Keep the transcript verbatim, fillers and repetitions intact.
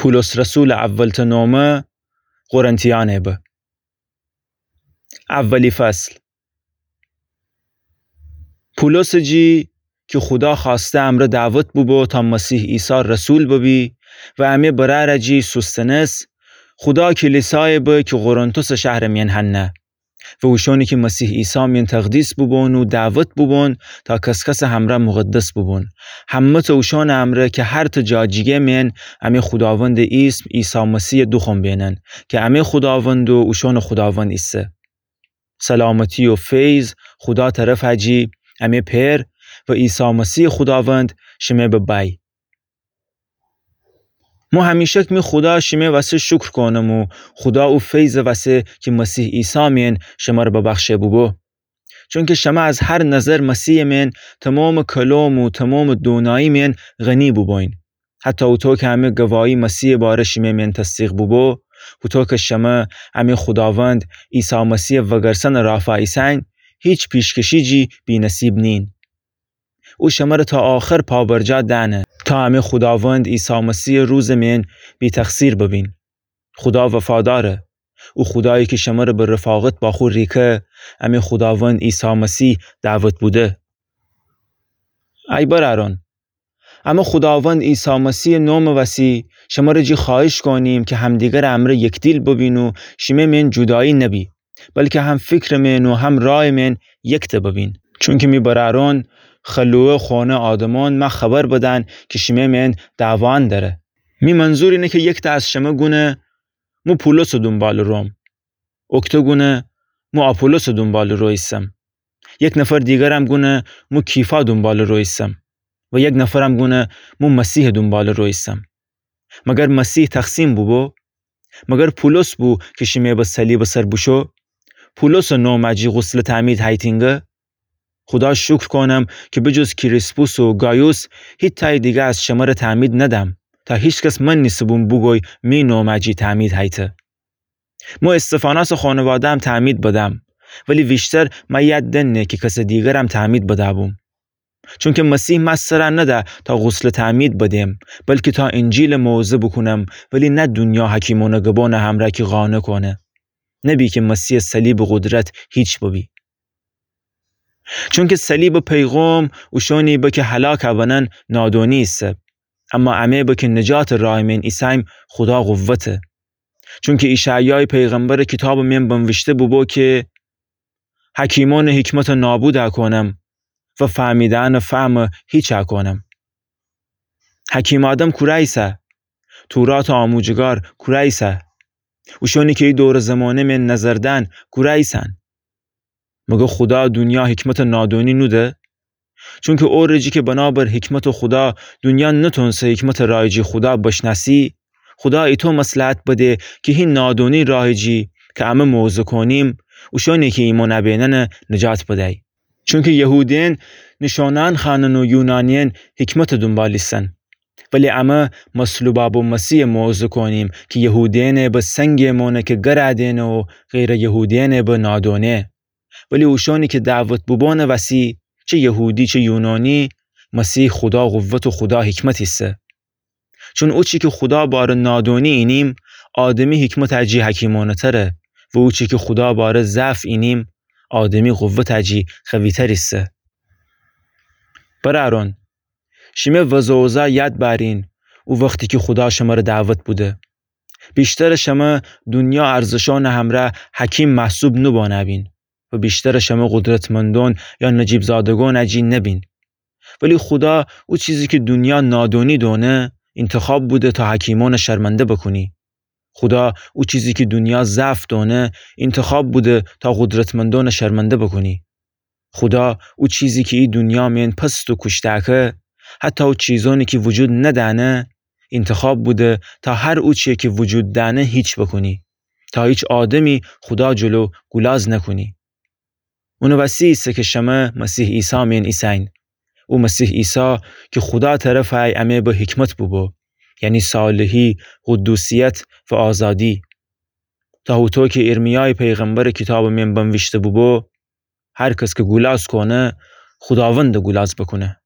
پولس رسولٚ اولتأ نومه قرنتیأنه به. اولی فصل. پولسٚ جی کی خودا خوأسته امرأ دعوت بوبو تا مسیح عیسی رسول ببی و امه برأرٚ جی سوستنس، خودا کلیسایه به کی قرنتسٚ شهرٚ میأن هنه. و اوشأنی کی مسیح عیسی میأن تقدیس بوبون و دعوت بوبون تا کس‌کسٚ همرأ مقدس بوبون. همه‌تأ اوشأنٚ امرأ کی هرتأ جا جیگه میأن امه خوداوندٚ ایسم عیسی مسیحٚ دوخوم بینن کی امه خوداوند و اوشأنٚ خوداوند ایسه. سلامتی و فیض خودا طرفٚ جی امه پئر و عیسی مسیحٚ خوداوند شمه ببی. مو همیشک می خودا شمه وسه شکر کونم و خودا او فیضٚ وسه کی مسیح عیسی میأن شمر ببخشه بوبو. چونکی شمه از هر نظر مسیحٚ میأن تومامٚ کلام و تومامٚ دونایی میأن غنی بوبوین. حتی اوطو کی امه گواهی مسیحٚ باره شمه میأن تصدیق بوبو، هوطو کی شمه امه خوداوند عیسی مسیحٚ وگرسنٚ رافا ایسین، هیچ پیشکشی جی بی‌نصیب نین. او شمر تا آخر پابرجا دأنه تا امه خوداوند عیسی مسیحٚ روزٚ میأن بی‌تقصیر ببین. خودا وفاداره. او خودایی کی شمر به رفاقت با خو ریکه، امه خوداوند عیسی مسیح دعوت بوده. ای برأرأن، امه خوداوند عیسی مسیحٚ نومٚ وسی شمر جی خوأهیش کونیم کی همدیگرٚ امرأ یکدیل ببین و شمه میأن جودایی نبی، بلکی هم فکرٚ میأن و هم رایٚ میأن یکتأ ببین. چونکی می برأرأن، خلوه خونه آدمأن مه خبر بدن کی شمه میأن دعوان دأره. می منظور اینه کی یکتأ از شمه گونه مو پولسٚ دونبالٚ روم، اکتأ گونه مو آپولوسٚ دونبالٚ رو ایسم. یک نفر دیگرم گونه مو کیفا دونبالٚ رو ایسم و یک نفرم گونه مو مسیحٚ دونبالٚ رو ایسم. مگر مسیح تقسیم بوبو؟ مگر پولس بو کی شمه به صلیبٚ سر بوشو؟ پولسٚ نومٚ جی غسلٚ تعمید هیتین گه؟ خودا شکر کونم کی بجز کریسپوس و گایوس هیتأیٚ دیگه از شمر تعمید ندم، تا هیکس من نیسه‌بوم بوگوی می نومٚ جی تعمید هیته. مو استفاناسٚ خانواده‌م تعمید بدم، ولی ویشتر مه یاد دنه کی کسٚ دیگرم تعمید بده‌بوم. چونکی مسیح مه سر نده تا غسلٚ تعمید بدم، بلکی تا انجیلٚ موعظه بوکونم، ولی نه دونیا حکیمأنٚ گبانٚ همرأ کی قانع کونه. نبی کی مسیحٚ صلیبٚ قدرت هیچ ببی. چونکی صلیبٚ پیغام اوشأنی به کی هلاک بنن نادونی ایسه، اما امه به کی نجاتٚ رایٚ میأن ایسیم خودا قوته. چونکی ایشعیایٚ پیغمبرٚ کیتابٚ میأن بنویشته بوبو کی حکیمأنٚ حکمت نابود کونم و فهمیدأنٚ فهم هیچ کونم. حکیمٚ آدم کوره ایسه؟ توراتٚ آموجگار کوره ایسه؟ اوشأنی کی ای دورٚ زمانه میأن نظر دن کوره ایسن؟ مگر خودا دونیا حکمتٚ نادونی نوده؟ چونکی او رجی کی بنابر حکمتٚ خودا دونیا نتونسه حکمتٚ رایٚ جی خودا بشنأسی، خودا ایتو مصلحت بده کی هی نادونی رایٚ جی کی امه موعظه کونیم، اوشأنی کی ایمأن ابیننه نجات بدی. چونکی یهودیأن نیشأنأن خوأنن و یونانیأن حکمتٚ دونبال ایسن. ولی امه مصلوبأ بو مسیحٚ موعظه کونیم کی یهودیأنٚ به سنگٚ مانه کی گر دئنه و غیرٚ یهودیأنٚ به نادانه. ولی اوشأنی کی دعوت بوبانٚ وسی، چه یهودی چه یونانی، مسیح خودا قوت و خودا حکمت ایسه. چون اوچی کی خودا باره نادانی اینیم، آدمی حکمتٚ جی حکیمانه‌تره و اوچی کی خودا باره ضعف اینیم، آدمی قوتٚ جی قوی‌تر ایسه. برأران، شیمه وضع اوضاع یاد بأرین، او وختی کی خودا شمره دعوت بوده. بیشترٚ شمه دونیا ارزشانٚ همره حکیم محسوب نوبانه‌بین و بیشترٚ شمه قدرتمندان یا نجیب‌زادگانٚ جی نبین. ولی خودا او چیزی کی دونیا نادانی دانه، انتخاب بوده تا حکیمانٚ شرمنده بوکونه. خودا او چیزی کی دونیا ضعف دانه، انتخاب بوده تا قدرتمندانٚ شرمنده بوکونه. خودا او چیزی کی ای دونیا مئن پست و کوشتأکه، حتی او چیزانی کی وجود ندأنه، انتخاب بوده تا هر اوچیی کی وجود دأنه هیچ بوکونه، تا هیچ آدمی خودا جلو گولاز نوکونه. اونٚ وسی ایسه کی شمه مسیح عیسی مئن ایسین. او مسیح عیسی کی خودا طرفی امه به حکمت بوبو، یعنی صالحی، قدوسیت و آزادی. تا هوطو کی ارمیایٚ پیغمبرٚ کیتابٚ مئن بنویشته بوبو، هر کس کی گولاز کونه، خوداوند گولاز بوکونه.